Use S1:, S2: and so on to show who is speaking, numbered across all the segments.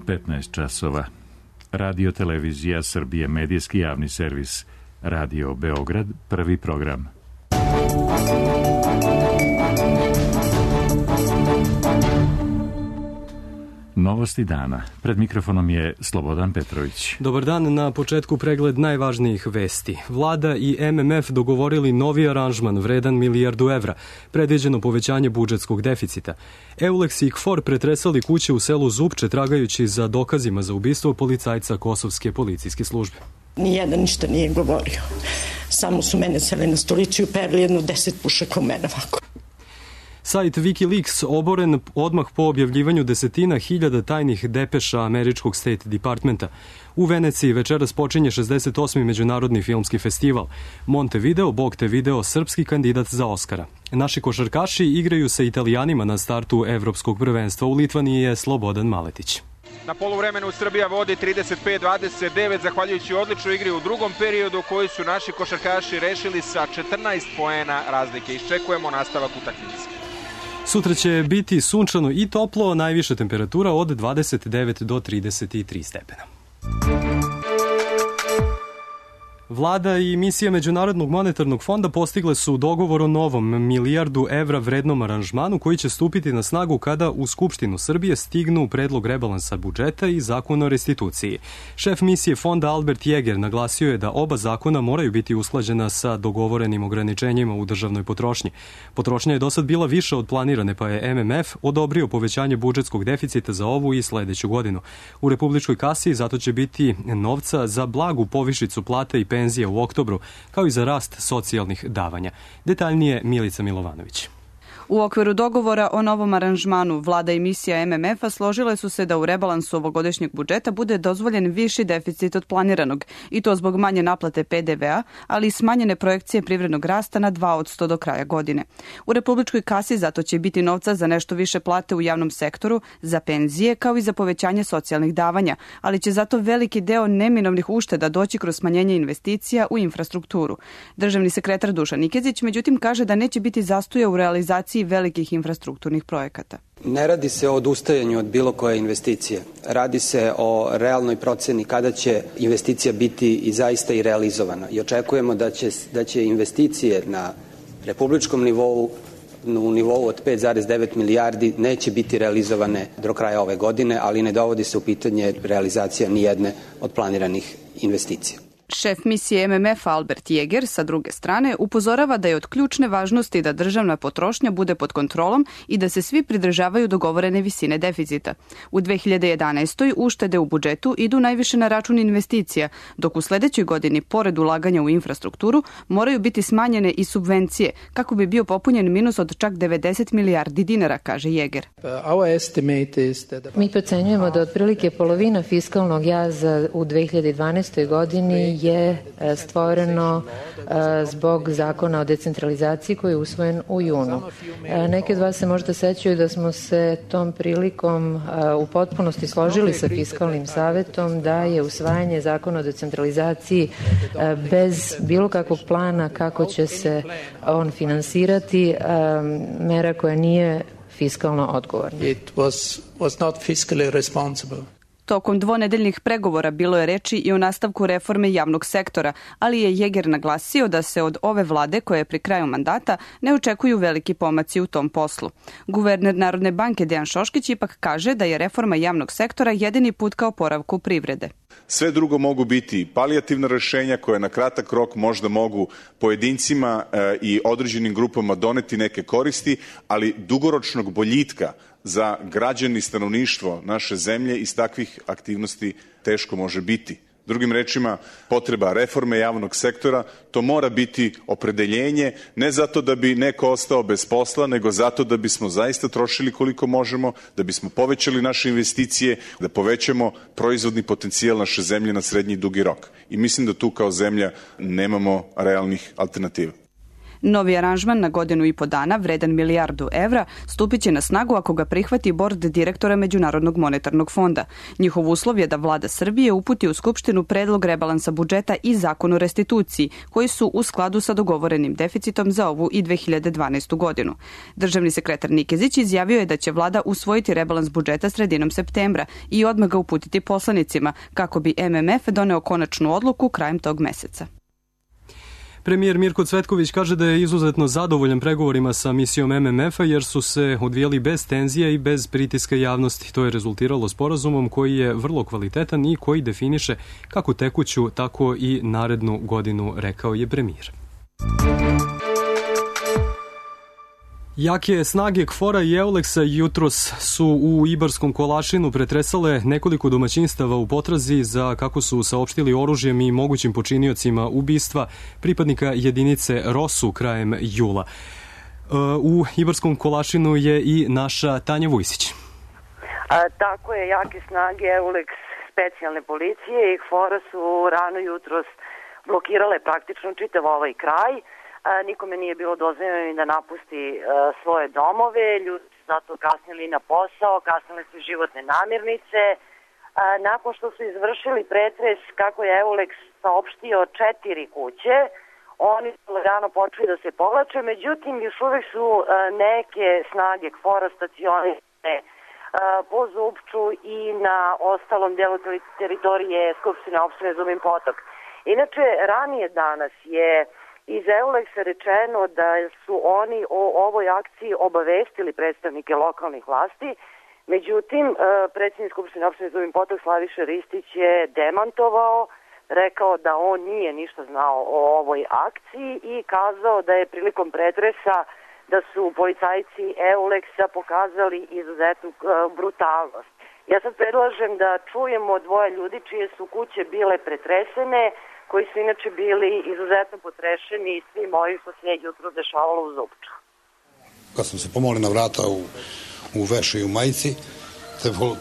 S1: 15 časova. Radio Televizija Srbije, medijski javni servis. Radio Beograd, prvi program. Novosti dana. Pred mikrofonom je Slobodan Petrović.
S2: Dobar dan, na početku pregled najvažnijih vesti. Vlada i MMF dogovorili novi aranžman vredan milijardu evra, predviđeno povećanje budžetskog deficita. Eulex i KFOR pretresali kuće u selu Zupče tragajući za dokazima za ubistvo policajca Kosovske policijske službe.
S3: Nijedan ništa nije govorio. Samo su mene seli na stolicu i uperili jedno 10 pušaka u mene ovako.
S2: Sajt Wikileaks oboren odmah po objavljivanju desetina hiljada tajnih depeša američkog State Departmenta. U Veneciji večeras počinje 68. međunarodni filmski festival. Montevideo, Bogtevideo, srpski kandidat za Oskara. Naši košarkaši igraju sa Italijanima na startu evropskog prvenstva. U Litvaniji je Slobodan Maletić.
S4: Na poluvremenu Srbija vodi 35-29 zahvaljujući odličnoj igri u drugom periodu koju su naši košarkaši rešili sa 14 poena razlike. Iščekujemo nastavak utakmice.
S2: Sutra će biti sunčano i toplo, najviša temperatura od 29 do 33 stepena. Vlada i misija Međunarodnog monetarnog fonda postigle su dogovor o novom milijardu evra vrednom aranžmanu koji će stupiti na snagu kada u Skupštinu Srbije stignu predlog rebalansa budžeta i zakon o restituciji. Šef misije fonda Albert Jeger naglasio je da oba zakona moraju biti usklađena sa dogovorenim ograničenjima u državnoj potrošnji. Potrošnja je dosad bila više od planirane, pa je MMF odobrio povećanje budžetskog deficita za ovu i sledeću godinu. U republičkoj kasi zato će biti novca za blagu povišicu plate i penzija u oktobru, kao i za rast socijalnih davanja. Detaljnije Milica Milovanović.
S5: U okviru dogovora o novom aranžmanu Vlada i misija MMF-a složile su se da u rebalansu ovogodišnjeg budžeta bude dozvoljen viši deficit od planiranog, i to zbog manje naplate PDV-a, ali i smanjene projekcije privrednog rasta na 2% do kraja godine. U republičkoj kasi zato će biti novca za nešto više plate u javnom sektoru, za penzije, kao i za povećanje socijalnih davanja, ali će zato veliki deo neminovnih ušteda doći kroz smanjenje investicija u infrastrukturu. Državni sekretar Dušan Nikezić, međutim, kaže da neće biti zastoja u realizaciji velikih infrastrukturnih projekata.
S6: Ne radi se o odustajanju od bilo koje investicije. Radi se o realnoj proceni kada će investicija biti i zaista i realizovana. I očekujemo da će investicije na republičkom nivou, u nivou od 5,9 milijardi neće biti realizovane do kraja ove godine, ali ne dovodi se u pitanje realizacija nijedne od planiranih investicija.
S5: Šef misije MMF Albert Jeger, sa druge strane, upozorava da je od ključne važnosti da državna potrošnja bude pod kontrolom i da se svi pridržavaju dogovorene visine deficita. U 2011. uštede u budžetu idu najviše na račun investicija, dok u sledećoj godini, pored ulaganja u infrastrukturu, moraju biti smanjene i subvencije, kako bi bio popunjen minus od čak 90 milijardi dinara, kaže Jeger.
S7: Mi procenjujemo da otprilike polovina fiskalnog jaza u 2012. godini je stvoreno zbog zakona o decentralizaciji koji je usvojen u junu. Neki od vas se možda sećaju da smo se tom prilikom u potpunosti složili sa Fiskalnim savetom da je usvajanje zakona o decentralizaciji bez bilo kakvog plana kako će se on finansirati mera koja nije fiskalno odgovorna.
S8: It was not fiscally responsible.
S5: Tokom dvonedeljnih pregovora bilo je reči i o nastavku reforme javnog sektora, ali je Jeger naglasio da se od ove vlade, koja je pri kraju mandata, ne očekuju veliki pomaci u tom poslu. Guverner Narodne banke Dejan Šoškić ipak kaže da je reforma javnog sektora jedini put ka oporavku privrede.
S9: Sve drugo mogu biti palijativna rešenja koja na kratak rok možda mogu pojedincima i određenim grupama doneti neke koristi, ali dugoročnog boljitka za građani i stanovništvo naše zemlje iz takvih aktivnosti teško može biti. Drugim rečima, potreba reforme javnog sektora, to mora biti opredeljenje, ne zato da bi neko ostao bez posla, nego zato da bismo zaista trošili koliko možemo, da bismo povećali naše investicije, da povećamo proizvodni potencijal naše zemlje na srednji i dugi rok. I mislim da tu kao zemlja nemamo realnih alternativa.
S5: Novi aranžman na 1,5 dana, vredan $1 milijardu, stupit će na snagu ako ga prihvati bord direktora Međunarodnog monetarnog fonda. Njihov uslov je da vlada Srbije uputi u Skupštinu predlog rebalansa budžeta i zakon o restituciji, koji su u skladu sa dogovorenim deficitom za ovu i 2012. godinu. Državni sekretar Nikezić izjavio je da će vlada usvojiti rebalans budžeta sredinom septembra i odmah ga uputiti poslanicima, kako bi MMF doneo konačnu odluku krajem tog meseca.
S2: Premijer Mirko Cvetković kaže da je izuzetno zadovoljan pregovorima sa misijom MMF-a jer su se odvijali bez tenzije i bez pritiska javnosti. To je rezultiralo sporazumom koji je vrlo kvalitetan i koji definiše kako tekuću, tako i narednu godinu, rekao je premijer. Jake snage KFOR-a i EULEX-a jutros su u Ibarskom Kolašinu pretresale nekoliko domaćinstava u potrazi za, kako su saopštili, oružjem i mogućim počiniocima ubistva pripadnika jedinice ROSU krajem jula. U Ibarskom Kolašinu je i naša Tanja Vujsić.
S10: Tako je, jake snage EULEX specijalne policije i KFOR-a su rano jutros blokirale praktično čitav ovaj kraj. Nikome nije bilo dozvoljeno ni da napusti svoje domove, ljudi su zato kasnili na posao, kasnile su životne namirnice. Nakon što su izvršili pretres, kako je EULEX saopštio, 4 kuće, oni su rano počeli da se povlače, međutim još uvek su neke snage KFOR-a stacionirane po Zupču i na ostalom delu teritorije Skupštine opštine Zubin Potok. Inače, ranije danas je iz EULEX-a rečeno da su oni o ovoj akciji obavestili predstavnike lokalnih vlasti, međutim, predsjednik Skupštine opštine Zubin Potok Slaviša Ristić je demantovao, rekao da on nije ništa znao o ovoj akciji i kazao da je prilikom pretresa da su policajci EULEX-a pokazali izuzetnu brutalnost. Ja sad predlažem da čujemo 2 ljudi čije su kuće bile pretresene, koji su inače bili izuzetno potrešeni i svim ovim što se jutro dešavalo u Zupču.
S11: Kad sam se pomolio na vrata u vešu i u majici,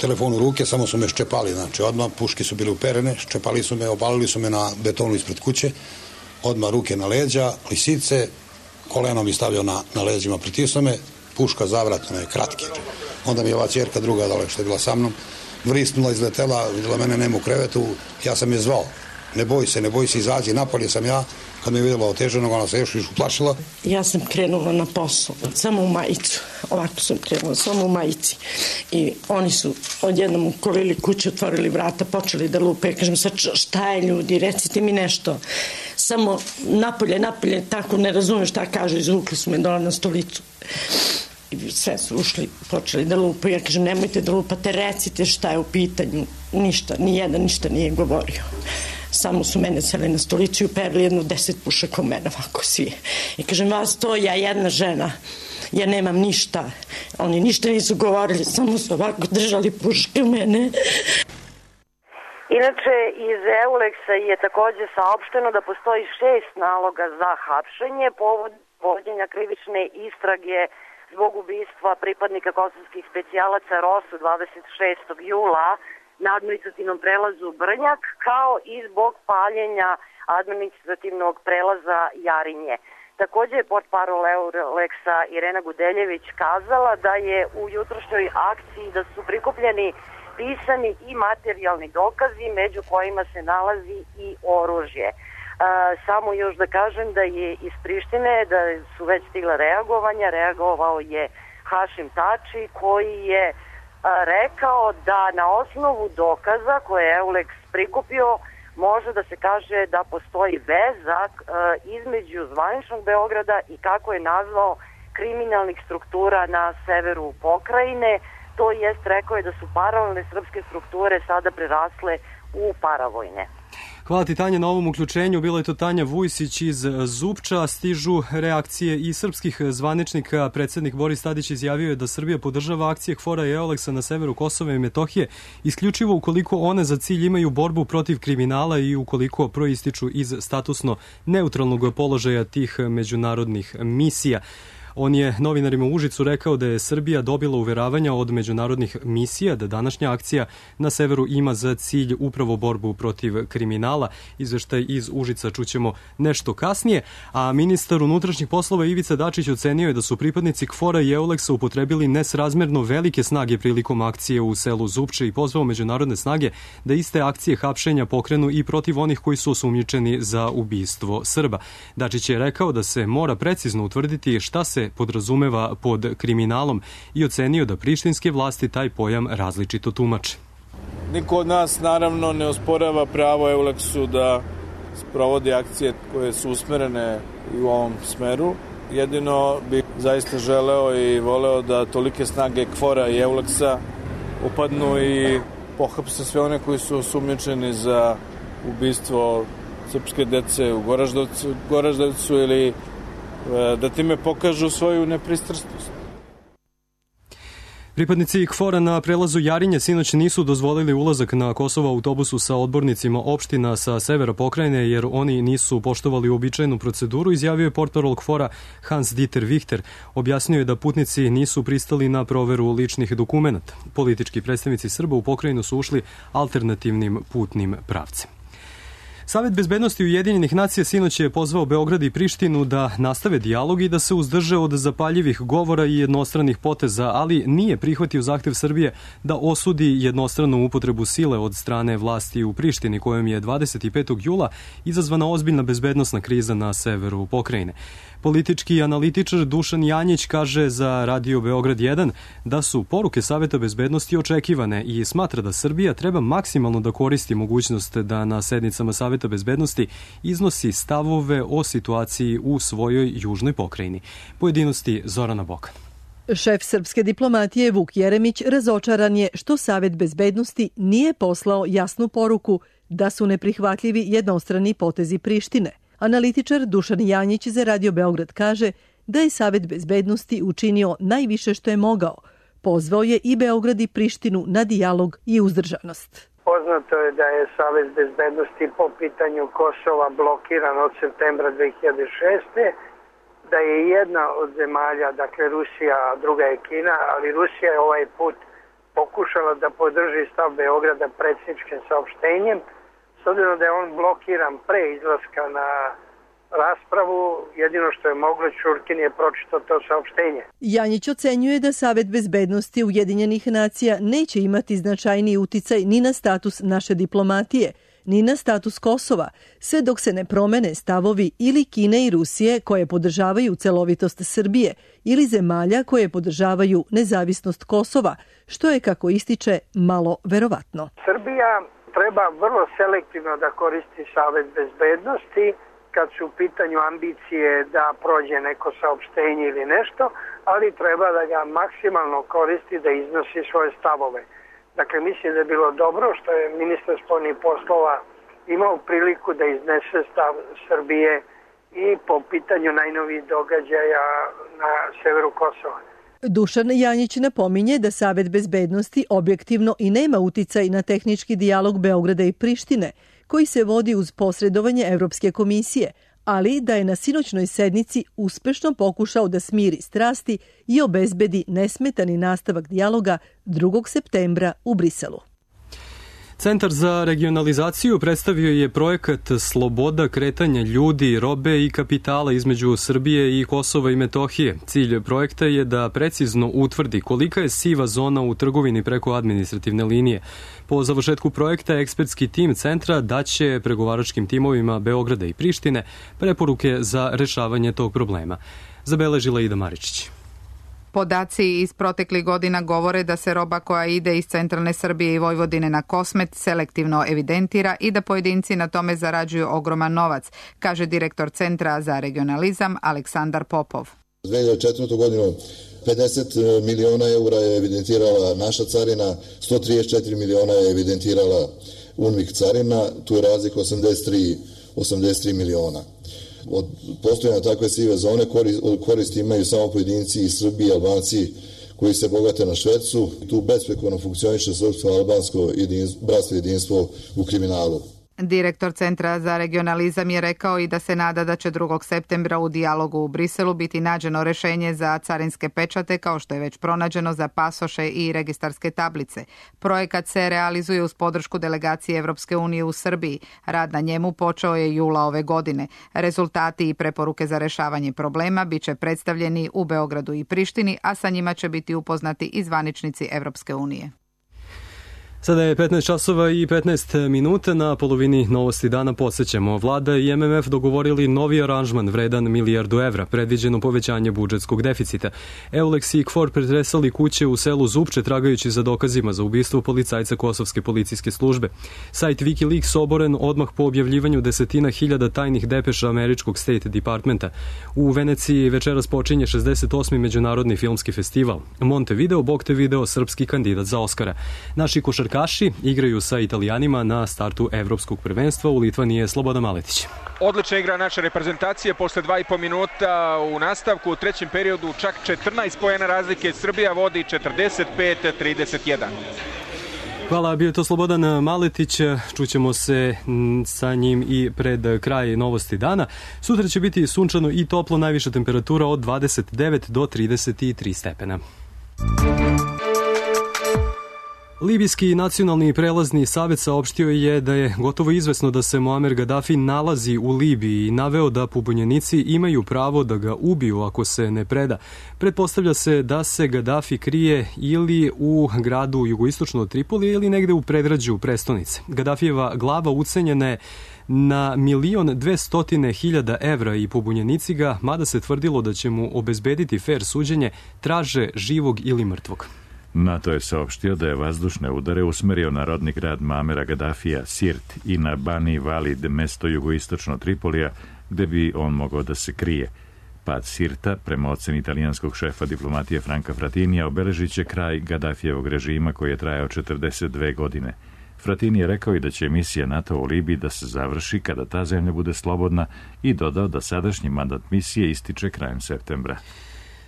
S11: telefon u ruke, samo su me ščepali, znači odmah puške su bile uperene, ščepali su me, obalili su me na betonu ispred kuće, odmah ruke na leđa, lisice, koleno mi stavio na leđima, pritisno me, puška zavratna je kratke. Onda mi je ova ćerka druga dole što je bila sa mnom, vrisnula, izletela, vidjela mene nema u krevetu, ja sam je zvao. Ne boj se, izađi, napolje sam ja, kad me je vidjela oteženog, ona se još uplašila.
S3: Ja sam krenula na posao, samo u majicu, ovako sam krenula, samo u majici. I oni su odjednom ukolili kuću, otvorili vrata, počeli da lupe. Ja kažem, sad šta je ljudi, recite mi nešto. Samo napolje, tako ne razumem šta kažu, izvukli su me dole na stolicu. I sve su ušli, počeli da lupa. Ja kažem, nemojte da lupate, recite šta je u pitanju. Ništa, nijedan ništa nije govorio. Samo su mene seli na stolicu i uperili 10 pušaka u mene, ovako svi. I kažem, vas to, ja jedna žena, ja nemam ništa. Oni ništa nisu govorili, samo su ovako držali puške u mene.
S10: Inače, iz EULEX-a je takođe saopšteno da postoji 6 naloga za hapšenje povod vođenja krivične istrage zbog ubistva pripadnika kosovskih specijalaca ROSU 26. jula na administrativnom prelazu Brnjak, kao i zbog paljenja administrativnog prelaza Jarinje. Takođe je portparol EULEX-a Irena Gudeljević kazala da je u jutrošnjoj akciji da su prikupljeni pisani i materijalni dokazi, među kojima se nalazi i oružje. Samo još da kažem da je iz Prištine, da su već stigla reagovanja, reagovao je Hašim Tači, koji je rekao da na osnovu dokaza koje je EULEX prikupio može da se kaže da postoji veza između zvaničnog Beograda i, kako je nazvao, kriminalnih struktura na severu pokrajine. To jest, rekao je da su paralelne srpske strukture sada prerasle u paravojne.
S2: Hvala ti, Tanja, na ovom uključenju. Bila je to Tanja Vujsić iz Zupča. Stižu reakcije i srpskih zvaničnika. Predsednik Boris Tadić izjavio je da Srbija podržava akcije KFOR-a i EULEX-a na severu Kosova i Metohije isključivo ukoliko one za cilj imaju borbu protiv kriminala i ukoliko proističu iz statusno neutralnog položaja tih međunarodnih misija. On je novinarima u Užicu rekao da je Srbija dobila uveravanja od međunarodnih misija da današnja akcija na severu ima za cilj upravo borbu protiv kriminala. Izveštaj iz Užica čućemo nešto kasnije, a ministar unutrašnjih poslova Ivica Dačić ocenio je da su pripadnici KFOR-a i EULEX-a upotrebili nesrazmerno velike snage prilikom akcije u selu Zupče i pozvao međunarodne snage da iste akcije hapšenja pokrenu i protiv onih koji su osumnjičeni za ubistvo Srba. Dačić je rekao da se mora precizno utvrditi šta se podrazumeva pod kriminalom i ocenio da prištinske vlasti taj pojam različito tumače.
S12: Niko od nas naravno ne osporava pravo EULEX-u da sprovodi akcije koje su usmerene i u ovom smeru. Jedino bih zaista želeo i voleo da tolike snage KFOR-a i EULEX-a upadnu i pohapse sve one koji su osumnjičeni za ubistvo srpske dece u Goraždevcu ili da time pokažu svoju nepristrasnost.
S2: Pripadnici KFOR-a na prelazu Jarinje sinoć nisu dozvolili ulazak na Kosovo autobusu sa odbornicima opština sa severa pokrajine jer oni nisu poštovali uobičajenu proceduru, izjavio je portparol KFOR-a Hans Dieter Wichter. Objasnio je da putnici nisu pristali na proveru ličnih dokumenata. Politički predstavnici Srba u pokrajinu su ušli alternativnim putnim pravcem. Savet bezbednosti Ujedinjenih nacija sinoć je pozvao Beograd i Prištinu da nastave dijalog i da se uzdrže od zapaljivih govora i jednostranih poteza, ali nije prihvatio zahtev Srbije da osudi jednostranu upotrebu sile od strane vlasti u Prištini, kojom je 25. jula izazvana ozbiljna bezbednosna kriza na severu pokrajine. Politički analitičar Dušan Janjić kaže za Radio Beograd 1 da su poruke Saveta bezbednosti očekivane i smatra da Srbija treba maksimalno da koristi mogućnost da na sednicama Saveta bezbednosti iznosi stavove o situaciji u svojoj južnoj pokrajini. Pojedinosti Zorana Bokan.
S13: Šef srpske diplomatije Vuk Jeremić razočaran je što Savet bezbednosti nije poslao jasnu poruku da su neprihvatljivi jednostrani potezi Prištine. Analitičar Dušan Janjić za Radio Beograd kaže da je Savet bezbednosti učinio najviše što je mogao. Pozvao je i Beograd i Prištinu na dijalog i uzdržanost.
S14: Poznato je da je Savet bezbednosti po pitanju Kosova blokiran od septembra 2006. Da je jedna od zemalja, dakle Rusija, a druga je Kina, ali Rusija je ovaj put pokušala da podrži stav Beograda predsjedničkim saopštenjem. S obzirom da je on blokiran pre izlaska na raspravu, jedino što je moglo, Ćurkin je pročitao to saopštenje.
S13: Janjić ocenjuje da Savet bezbednosti Ujedinjenih nacija neće imati značajniji uticaj ni na status naše diplomatije, ni na status Kosova, sve dok se ne promene stavovi ili Kine i Rusije koje podržavaju celovitost Srbije ili zemalja koje podržavaju nezavisnost Kosova, što je, kako ističe, malo verovatno.
S14: Srbija treba vrlo selektivno da koristi Savet bezbednosti kad su u pitanju ambicije da prođe neko saopštenje ili nešto, ali treba da ga maksimalno koristi da iznosi svoje stavove. Dakle, mislim da je bilo dobro što je ministar spoljnih poslova imao priliku da iznese stav Srbije i po pitanju najnovijih događaja na severu Kosova.
S13: Dušan Janjić napominje da Savet bezbednosti objektivno i nema uticaj na tehnički dijalog Beograda i Prištine, koji se vodi uz posredovanje Evropske komisije, ali da je na sinoćnoj sednici uspešno pokušao da smiri strasti i obezbedi nesmetani nastavak dijaloga 2. septembra u Briselu.
S2: Centar za regionalizaciju predstavio je projekat Sloboda kretanja ljudi, robe i kapitala između Srbije i Kosova i Metohije. Cilj projekta je da precizno utvrdi kolika je siva zona u trgovini preko administrativne linije. Po završetku projekta, ekspertski tim centra daće pregovaračkim timovima Beograda i Prištine preporuke za rešavanje tog problema. Zabeležila Ida Maričić.
S15: Podaci iz proteklih godina govore da se roba koja ide iz centralne Srbije i Vojvodine na Kosmet selektivno evidentira i da pojedinci na tome zarađuju ogroman novac, kaže direktor Centra za regionalizam Aleksandar Popov.
S16: 2004. godinu 50 miliona eura je evidentirala naša carina, 134 miliona je evidentirala UNMIK carina, tu je razlika 83 miliona. Od postojanja takve sive zone koristi imaju samo pojedinci iz Srbije i Albanci koji se bogate na švercu. Tu besprekorno funkcioniše srpsko-albansko bratstvo jedinstvo u kriminalu.
S15: Direktor Centra za regionalizam je rekao i da se nada da će 2. septembra u dijalogu u Briselu biti nađeno rešenje za carinske pečate, kao što je već pronađeno za pasoše i registarske tablice. Projekat se realizuje uz podršku delegacije Evropske unije u Srbiji. Rad na njemu počeo je jula ove godine. Rezultati i preporuke za rešavanje problema biće predstavljeni u Beogradu i Prištini, a sa njima će biti upoznati i zvaničnici Evropske unije.
S2: Sada je 15 časova i 15 minuta, na polovini novosti dana podsjećamo. Vlada i MMF dogovorili novi aranžman vredan milijardu evra, predviđeno povećanje budžetskog deficita. Eulex i KFOR pretresali kuće u selu Zupče tragajući za dokazima za ubistvo policajca Kosovske policijske službe. Sajt Wikileaks oboren odmah po objavljivanju desetina hiljada tajnih depeša američkog State Departmenta. U Veneciji večeras počinje 68. međunarodni filmski festival. Montevideo, Bogtevideo, srpski kandidat za Oskara. Naši košarkaši igraju sa Italijanima na startu evropskog prvenstva. U Litvaniji je Slobodan Maletić.
S4: Odlična igra naše reprezentacije posle 2,5 minuta u nastavku. U trećem periodu čak 14 poena razlike. Srbija vodi 45-31.
S2: Hvala, bio je to Slobodan Maletić. Čućemo se sa njim i pred kraj novosti dana. Sutra će biti sunčano i toplo, najviša temperatura od 29 do 33 stepena. Libijski nacionalni prelazni savet saopštio je da je gotovo izvesno da se Muamer Gaddafi nalazi u Libiji i naveo da pobunjenici imaju pravo da ga ubiju ako se ne preda. Pretpostavlja se da se Gaddafi krije ili u gradu jugoistočno od Tripolija ili negde u predgrađu prestonice. Gaddafijeva glava ucenjena je na 1.200.000 evra i pobunjenici ga, mada se tvrdilo da će mu obezbediti fer suđenje, traže živog ili mrtvog.
S1: NATO je saopštio da je vazdušne udare usmerio na rodni grad Muamera Gaddafija, Sirt, i na Bani Valid, mesto jugoistočno Tripolija, gde bi on mogao da se krije. Pad Sirta, prema oceni italijanskog šefa diplomatije Franka Fratinija, obeležit će kraj Gaddafijevog režima koji je trajao 42 godine. Fratini je rekao i da će misija NATO u Libiji da se završi kada ta zemlja bude slobodna i dodao da sadašnji mandat misije ističe krajem septembra.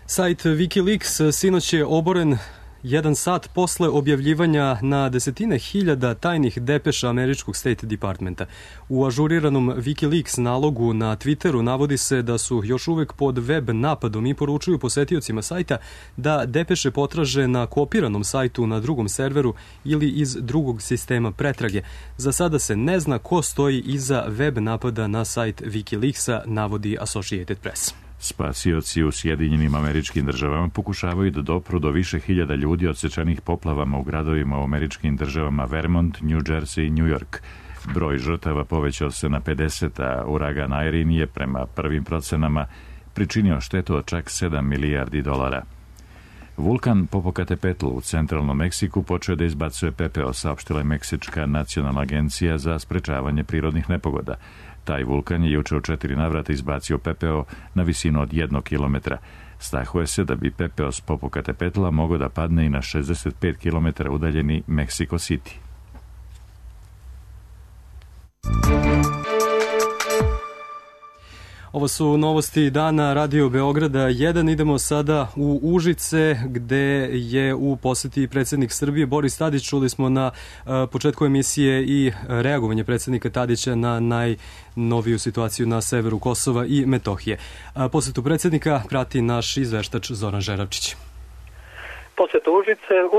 S2: Sajt Wikileaks sinoć je oboren 1 sat posle objavljivanja na desetine hiljada tajnih depeša američkog State Departmenta. U ažuriranom Wikileaks nalogu na Twitteru navodi se da su još uvek pod web napadom i poručuju posetiocima sajta da depeše potraže na kopiranom sajtu na drugom serveru ili iz drugog sistema pretrage. Za sada se ne zna ko stoji iza web napada na sajt Wikileaksa, navodi Associated Press.
S1: Spasioci u Sjedinjenim Američkim Državama pokušavaju da dopru do više hiljada ljudi odsečenih poplavama u gradovima u američkim državama Vermont, New Jersey i New York. Broj žrtava povećao se na 50, a uragan Irene je prema prvim procenama pričinio štetu od čak $7 milijardi. Vulkan Popocatépetl u centralnom Meksiku počeo da izbacuje pepeo, saopštila je Meksička nacionalna agencija za sprečavanje prirodnih nepogoda. Taj vulkan je juče u 4 navrata izbacio pepeo na visinu od 1 kilometra. Strahuje se da bi pepeo s Popocatépetla mogao da padne i na 65 kilometara udaljeni Mexico City.
S2: Ovo su novosti dana Radio Beograda 1. Idemo sada u Užice, gde je u poseti predsjednik Srbije Boris Tadić. Čuli smo na početku emisije i reagovanje predsjednika Tadića na najnoviju situaciju na severu Kosova i Metohije. Posetu predsjednika prati naš izveštač Zoran Žeravčić.
S17: Posetu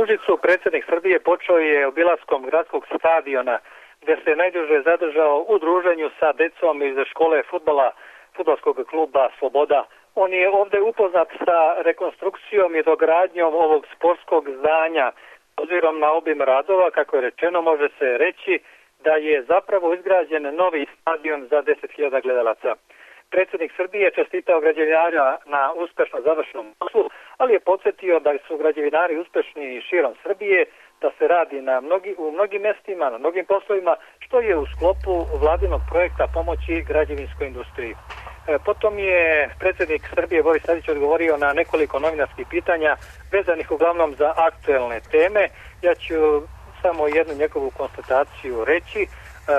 S17: Užicu predsjednik Srbije počeo je obilaskom gradskog stadiona, gde se najduže zadržao u druženju sa decom iz škole fudbalskog kluba Sloboda. On je ovde upoznat sa rekonstrukcijom i dogradnjom ovog sportskog zdanja. Obzirom na obim radova, kako je rečeno, može se reći da je zapravo izgrađen novi stadion za 10.000 gledalaca. Predsjednik Srbije čestitao građevinara na uspešno završenom poslu, ali je podsjetio da su građevinari uspešni širom Srbije, da se radi u mnogim mestima, na mnogim poslovima, što je u sklopu vladinog projekta pomoći građevinskoj industriji. Potom je predsjednik Srbije Boris Tadić odgovorio na nekoliko novinarskih pitanja vezanih uglavnom za aktuelne teme. Ja ću samo jednu njegovu konstataciju reći.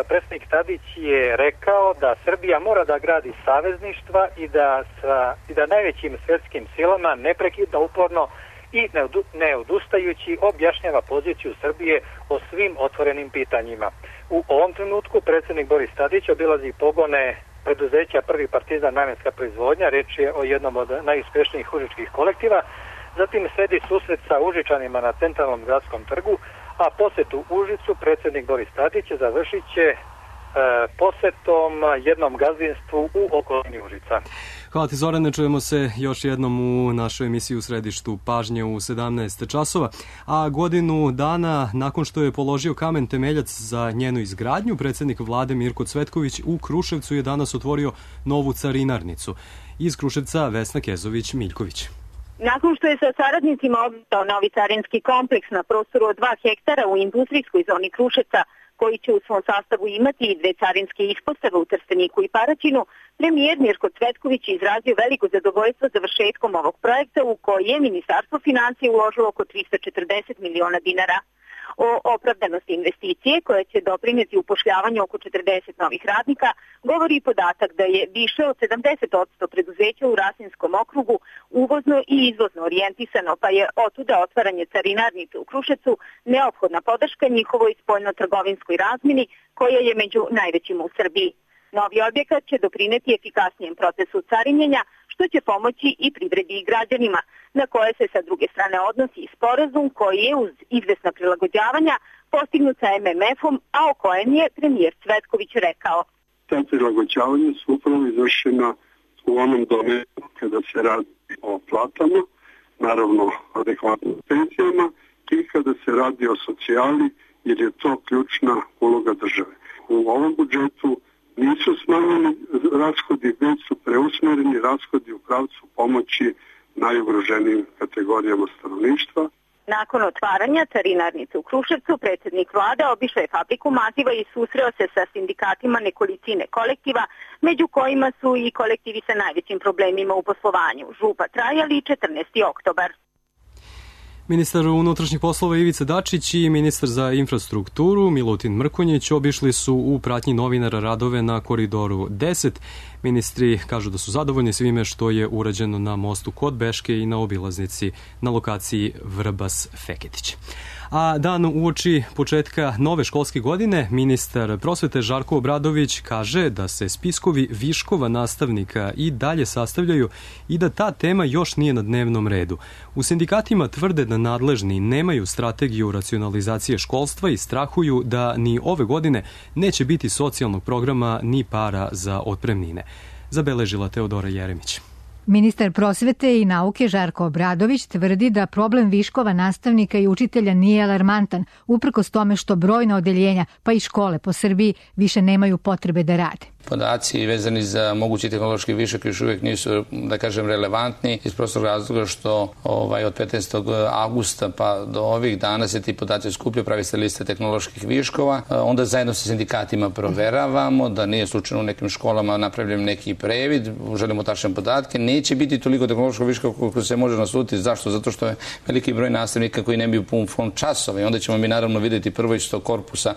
S17: Predsjednik Tadić je rekao da Srbija mora da gradi savezništva i da najvećim svjetskim silama neprekidno uporno i ne odustajući objašnjava poziciju Srbije o svim otvorenim pitanjima. U ovom trenutku predsjednik Boris Tadić obilazi pogone preduzeća Prvi Partizan namjenska proizvodnja, reč je o jednom od najuspešnijih užičkih kolektiva. Zatim sledi susret sa Užičanima na centralnom gradskom trgu, a posetu Užicu predsjednik Boris Tadić završit će posetom jednom gazdinstvu u okolini Užica.
S2: Hvala ti, Zorane, čujemo se još jednom u našoj emisiji U središtu pažnje u 17 časova, a godinu dana nakon što je položio kamen temeljac za njenu izgradnju, predsjednik vlade Mirko Cvetković u Kruševcu je danas otvorio novu carinarnicu. Iz Kruševca Vesna Kezović-Miljković.
S18: Nakon što je sa saradnicima obitao novi carinski kompleks na prostoru od 2 hektara u industrijskoj zoni Kruševca, koji će u svom sastavu imati i 2 carinske ispostave u Trsteniku i Paraćinu, premijer Mirko Cvetković je izrazio veliko zadovoljstvo završetkom ovog projekta u koji je Ministarstvo financija uložilo oko 340 miliona dinara. O opravdanosti investicije, koja će doprineti upošljavanju oko 40 novih radnika, govori i podatak da je više od 70% preduzeća u Rasinskom okrugu uvozno i izvozno orijentisano, pa je otuda otvaranje carinarnice u Kruševcu neophodna podrška njihovoj spoljno-trgovinskoj razmjeni, koja je među najvećim u Srbiji. Novi objekat će doprineti efikasnijem procesu carinjenja, što će pomoći i privredi i građanima, na koje se sa druge strane odnosi i sporazum koji je uz izvesna prilagođavanja postignut sa MMF-om, a o kojem je premijer Cvetković rekao.
S19: Ta prilagođavanja su upravo izvršena u onom domenu kada se radi o platama, naravno adekvatnim penzijama, i kada se radi o socijali, jer je to ključna uloga države. U ovom budžetu nisu smanjeni rashodi, već su preusmereni rashodi u pravcu pomoći najugroženijim kategorijama stanovništva.
S18: Nakon otvaranja carinarnice u Kruševcu, predsjednik vlade obišao je fabriku maziva i susreo se sa sindikatima nekolicine kolektiva, među kojima su i kolektivi sa najvećim problemima u poslovanju, Župa Trajali i 14. oktobar.
S2: Ministar unutrašnjih poslova Ivica Dačić i ministar za infrastrukturu Milutin Mrkonjić obišli su u pratnji novinara radove na Koridoru 10. Ministri kažu da su zadovoljni svime što je urađeno na mostu kod Beške i na obilaznici na lokaciji Vrbas-Feketić. A dan uoči početka nove školske godine, ministar prosvete Žarko Obradović kaže da se spiskovi viškova nastavnika i dalje sastavljaju i da ta tema još nije na dnevnom redu. U sindikatima tvrde da nadležni nemaju strategiju racionalizacije školstva i strahuju da ni ove godine neće biti socijalnog programa ni para za otpremnine. Zabeležila Teodora Jeremić.
S20: Ministar prosvete i nauke Žarko Obradović tvrdi da problem viškova nastavnika i učitelja nije alarmantan, uprkos tome što brojna odeljenja, pa i škole po Srbiji, više nemaju potrebe da rade.
S21: Podaci vezani za mogući tehnološki višak još uvijek nisu, da kažem, relevantni iz prostog razloga što od 15. augusta pa do ovih dana se ti podaci skupljaju, pravi se lista tehnoloških viškova, onda zajedno sa sindikatima proveravamo da nije slučajno u nekim školama napravljen neki previd, želimo tačne podatke, neće biti toliko tehnološkog viška koliko se može nasuditi. Zašto? Zato što je veliki broj nastavnika koji nemaju pun fond časova i onda ćemo mi naravno vidjeti prvo iz tog korpusa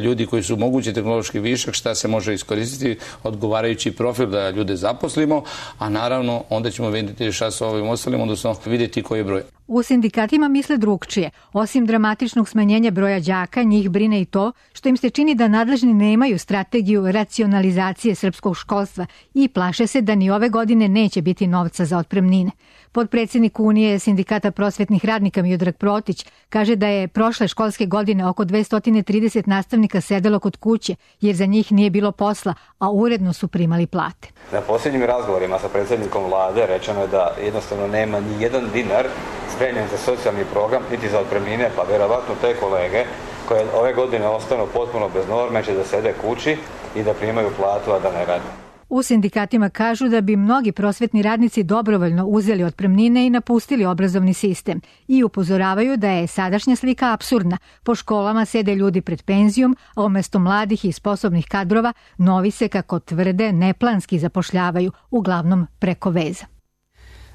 S21: ljudi koji su mogući tehnološki višak, šta se može iskoristiti, odgovarajući profil da ljude zaposlimo, a naravno onda ćemo vidjeti šta sa ovim ostalim, odnosno vidjeti koji je broj.
S20: U sindikatima misle drugčije. Osim dramatičnog smanjenja broja đaka, njih brine i to što im se čini da nadležni nemaju strategiju racionalizacije srpskog školstva i plaše se da ni ove godine neće biti novca za otpremnine. Potpredsjednik Unije sindikata prosvetnih radnika Miodrag Protić kaže da je prošle školske godine oko 230 nastavnika sedelo kod kuće jer za njih nije bilo posla, a uredno su primali plate.
S22: Na posljednjim razgovorima sa predsjednikom vlade rečeno je da jednostavno nema ni jedan dinar spremljen za socijalni program, niti za otpremnine, pa vjerovatno te kolege koje ove godine ostanu potpuno bez norme će da sede kući i da primaju platu, a da ne rade.
S20: U sindikatima kažu da bi mnogi prosvetni radnici dobrovoljno uzeli otpremnine i napustili obrazovni sistem i upozoravaju da je sadašnja slika apsurdna. Po školama sede ljudi pred penzijom, a umjesto mladih i sposobnih kadrova novi se, kako tvrde, neplanski zapošljavaju, uglavnom preko veza.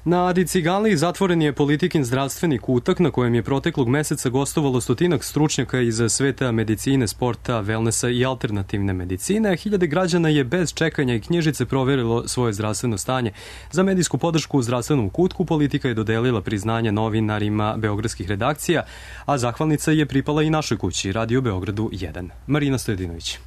S2: Na Adi Ciganliji zatvoren je Politikin zdravstveni kutak na kojem je proteklog meseca gostovalo stotinak stručnjaka iz sveta medicine, sporta, wellnessa i alternativne medicine. Hiljade građana je bez čekanja i knjižice proverilo svoje zdravstveno stanje. Za medijsku podršku u zdravstvenom kutku Politika je dodelila priznanje novinarima beogradskih redakcija, a zahvalnica je pripala i našoj kući, Radio Beogradu 1. Marina Stojedinović.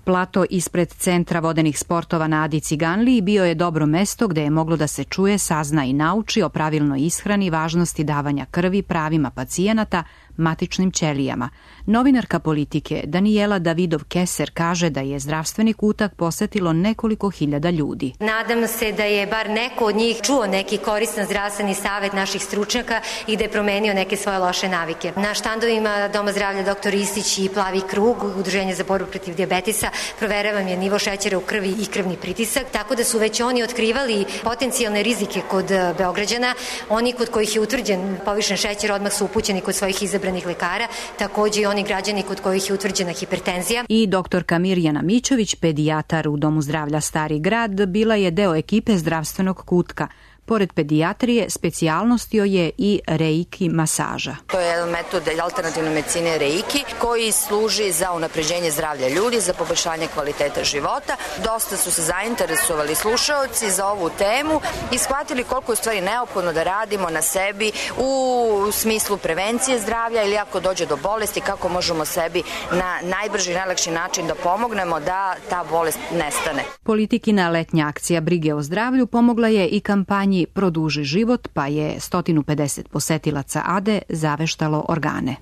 S6: Plato ispred Centra vodenih sportova na Adi Ciganliji bio je dobro mesto gde je moglo da se čuje, sazna i nauči o pravilnoj ishrani, važnosti davanja krvi, pravima pacijenata, matičnim ćelijama. Novinarka Politike Danijela Davidov-Keser kaže da je zdravstveni kutak posetilo nekoliko hiljada ljudi.
S7: Nadam se da je bar neko od njih čuo neki koristan zdravstveni savet naših stručnjaka i da je promenio neke svoje loše navike. Na štandovima Doma zdravlja Dr. Istić i Plavi krug, Udruženje za borbu protiv dijabetesa, proveravam je nivo šećera u krvi i krvni pritisak, tako da su već oni otkrivali potencijalne rizike kod Beograđana. Oni kod kojih je utvrđen povišen šećer odmah su upućeni kod svojih izabranih lekara, takođe i oni građani kod kojih je utvrđena hipertenzija.
S6: I doktorka Mirjana Mićović, pedijatar u Domu zdravlja Stari grad, bila je deo ekipe zdravstvenog kutka. Pored pedijatrije, specijalnost joj je i reiki masaža.
S23: To je jedan metod alternativne medicine reiki koji služi za unapređenje zdravlja ljudi, za poboljšanje kvaliteta života. Dosta su se zainteresovali slušaoci za ovu temu i shvatili koliko je u stvari neophodno da radimo na sebi u smislu prevencije zdravlja ili ako dođe do bolesti, kako možemo sebi na najbrži i najlakši način da pomognemo da ta bolest nestane.
S6: Politikina letnja akcija brige o zdravlju pomogla je i kampanji Produži život, pa je 150 posetilaca Ade zaveštalo organe.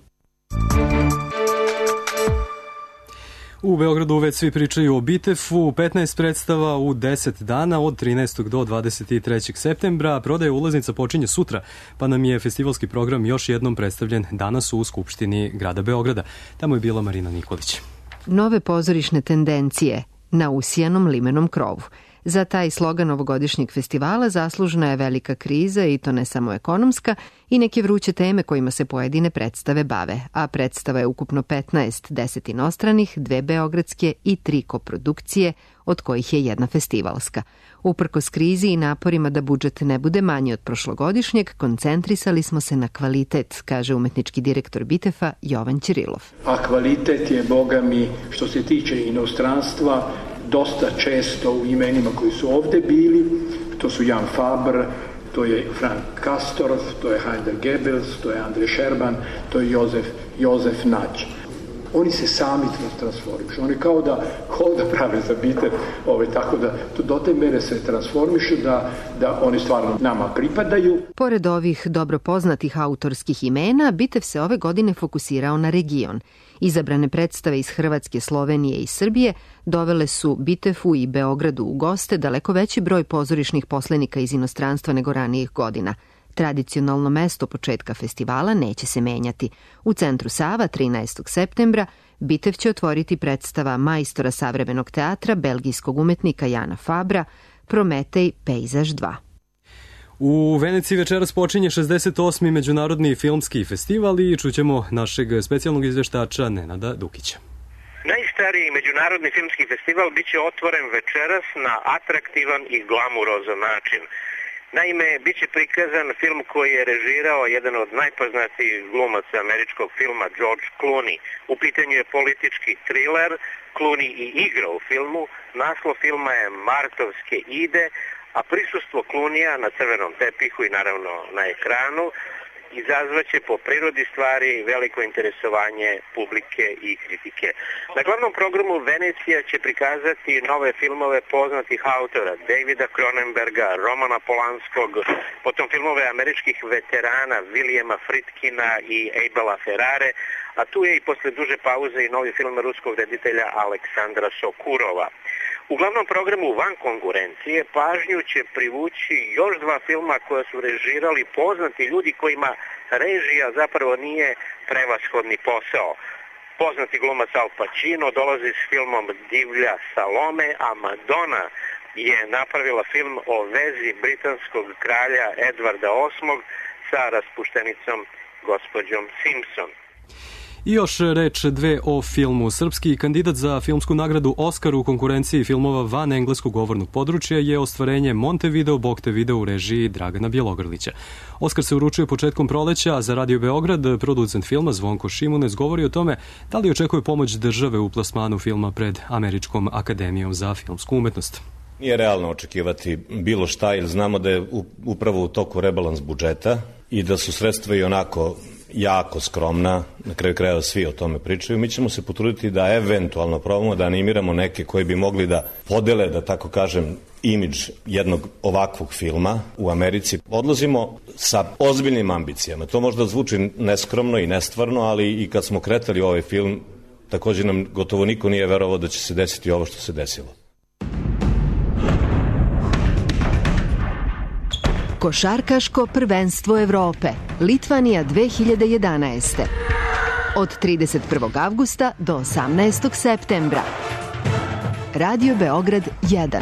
S2: U Beogradu već svi pričaju o Bitefu, 15 predstava u 10 dana od 13. do 23. septembra. Prodaja ulaznica počinje sutra, pa nam je festivalski program još jednom predstavljen danas u Skupštini grada Beograda. Tamo je bila Marina Nikolić.
S24: Nove pozorišne tendencije na usijanom limenom krovu. Za taj slogan ovogodišnjeg festivala zaslužna je velika kriza i to ne samo ekonomska i neke vruće teme kojima se pojedine predstave bave, a predstava je ukupno 15, 10 inostranih, 2 beogradske i 3 koprodukcije, od kojih je jedna festivalska. Uprkos krizi i naporima da budžet ne bude manji od prošlogodišnjeg, koncentrisali smo se na kvalitet, kaže umetnički direktor Bitefa Jovan Ćirilov.
S25: A kvalitet je, boga mi, što se tiče inostranstva, dosta često u imenima koji su ovde bili, to su Jan Faber, to je Frank Castorf, to je Heinrich Goebbels, to je Andrej Šerban, to je Jozef Nađ. Oni se sami transformišu, oni kao da prave za Bitev, tako da do te mere se transformišu da oni stvarno nama pripadaju.
S24: Pored ovih dobro poznatih autorskih imena, Bitev se ove godine fokusirao na region. Izabrane predstave iz Hrvatske, Slovenije i Srbije dovele su Bitefu i Beogradu u goste daleko veći broj pozorišnih poslenika iz inostranstva nego ranijih godina. Tradicionalno mesto početka festivala neće se menjati. U centru Sava 13. septembra Bitev će otvoriti predstava majstora savremenog teatra, belgijskog umetnika Jana Fabra, Prometej pejzaž 2.
S2: U Veneciji večeras počinje 68. Međunarodni filmski festival i čućemo našeg specijalnog izveštača Nenada Dukića.
S26: Najstariji međunarodni filmski festival biće otvoren večeras na atraktivan i glamurozan način. Naime, bit će prikazan film koji je režirao jedan od najpoznatijih glumaca američkog filma, George Clooney. U pitanju je politički thriller, Clooney i igra u filmu, naslov filma je Martovske ide, a prisustvo Clooneyja na crvenom tepihu i naravno na ekranu izazvaće po prirodi stvari veliko interesovanje publike i kritike. Na glavnom programu Venecija će prikazati nove filmove poznatih autora Davida Cronenberga, Romana Polanskog, potom filmove američkih veterana Williama Friedkina i Abela Ferrare, a tu je i posle duže pauze i novi film ruskog reditelja Aleksandra Sokurova. U glavnom programu van konkurencije pažnju će privući još 2 filma koja su režirali poznati ljudi kojima režija zapravo nije prevashodni posao. Poznati glumac Al Pacino dolazi s filmom Divlja Salome, a Madonna je napravila film o vezi britanskog kralja Edvarda VIII sa raspuštenicom gospođom Simpson.
S2: I još reč dve o filmu. Srpski kandidat za filmsku nagradu Oskar u konkurenciji filmova van engleskog govornog područja je ostvarenje Montevideo Boktevideo u režiji Dragana Bjelogrlića. Oskar se uručuje početkom proleća, a za Radio Beograd producent filma Zvonko Šimunec govori o tome da li očekuje pomoć države u plasmanu filma pred Američkom akademijom za filmsku umetnost.
S3: Nije realno očekivati bilo šta, jer znamo da je upravo u toku rebalans budžeta i da su sredstva i onako jako skromna, na kraju krajeva svi o tome pričaju. Mi ćemo se potruditi da eventualno probamo da animiramo neke koji bi mogli da podele, da tako kažem, imidž jednog ovakvog filma u Americi. Odlazimo sa ozbiljnim ambicijama. To možda zvuči neskromno i nestvarno, ali i kad smo kretali ovaj film, također nam gotovo niko nije verovao da će se desiti ovo što se desilo.
S24: Košarkaško prvenstvo Evrope, Litvanija 2011. Od 31. avgusta do 18. septembra. Radio Beograd 1.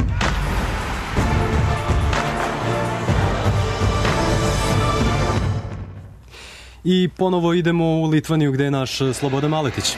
S2: I ponovo idemo u Litvaniju gde je naš Slobodan Maletić.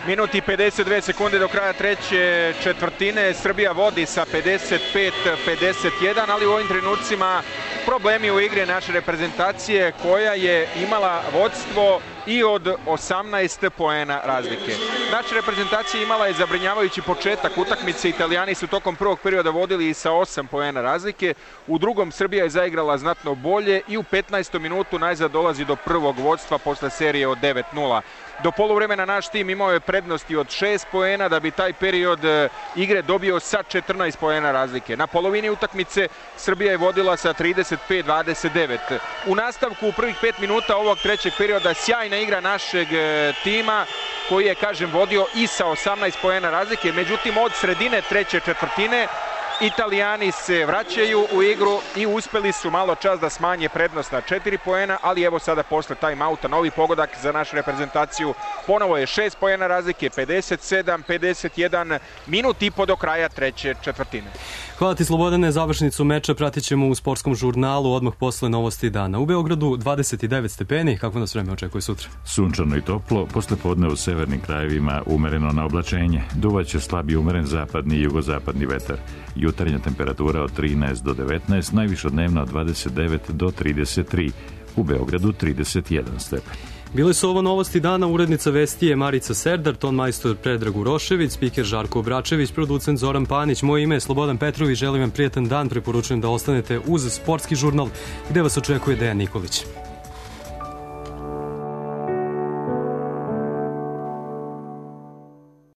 S4: Minut i 52 sekunde do kraja treće četvrtine. Srbija vodi sa 55-51, ali u ovim trenucima problemi u igri naše reprezentacije koja je imala vodstvo i od 18 poena razlike. Naša reprezentacija imala je zabrinjavajući početak utakmice. Italijani su tokom prvog perioda vodili i sa 8 poena razlike. U drugom Srbija je zaigrala znatno bolje i u 15. minutu najzad dolazi do prvog vodstva posle serije od 9-0. Do poluvremena naš tim imao je prednosti od 6 poena da bi taj period igre dobio sa 14 poena razlike. Na polovini utakmice Srbija je vodila sa 35-29. U nastavku u prvih 5 minuta ovog trećeg perioda sjajna igra našeg tima koji je, kažem, vodio i sa 18 poena razlike. Međutim, od sredine treće četvrtine Italijani se vraćaju u igru i uspeli su malo čas da smanje prednost na 4 poena, ali evo sada posle time-outa novi pogodak za našu reprezentaciju. Ponovo je 6 poena razlike, 57-51, minut i po do kraja treće četvrtine.
S2: Hvala ti, Slobodane. Završnicu meča pratit ćemo u sportskom žurnalu odmah posle novosti dana. U Beogradu 29 stepeni. Kako nas vreme očekuje sutra?
S1: Sunčano i toplo, posle podne u severnim krajevima umereno na oblačenje. Duvaće slabiji umeren zapadni i jugozapadni vetar. Jutarnja temperatura od 13 do 19, najviša dnevna od 29 do 33. U Beogradu 31 stepen.
S2: Bile su ovo novosti dana, urednica vesti je Marica Serdar, ton majstor Predrag Urošević, spiker Žarko Obračević, producent Zoran Panić, moje ime je Slobodan Petrović, želim vam prijatan dan, preporučujem da ostanete uz sportski žurnal gde vas očekuje Dejan Nikolić.